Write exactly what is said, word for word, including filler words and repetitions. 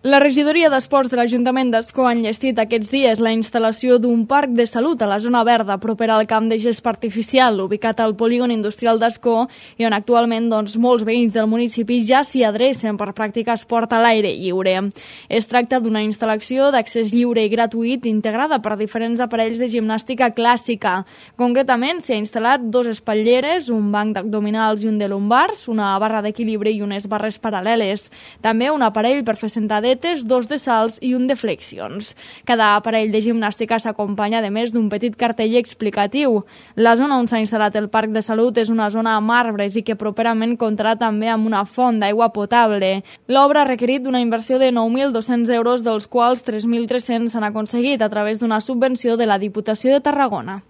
La regidoria d'Esports de l'Ajuntament d'Ascó ha enllestit aquests dies la instal·lació d'un parc de salut a la zona verda propera al camp de gespa artificial, ubicat al polígon industrial d'Ascó, i on actualment doncs, molts veïns del municipi ja s'hi adrecen per practicar esport a l'aire lliure. Es tracta d'una instal·lació d'accés lliure i gratuït integrada per diferents aparells de gimnàstica clàssica. Concretament, s'hi ha instal·lat dos espatlleres, un banc d'abdominals i un de lumbars, una barra d'equilibri i unes barres paral·leles. També un aparell per fer sentadets, dos de salts i un de flexions. Cada aparell de gimnàstica s'acompanya de més d'un petit cartell explicatiu. La zona on s'ha instal·lat el parc de salut és una zona amb arbres i que properament comptarà també amb una font d'aigua potable. L'obra ha requerit una inversió de nou mil dos-cents euros, dels quals tres mil tres-cents s'han aconseguit a través d'una subvenció de la Diputació de Tarragona.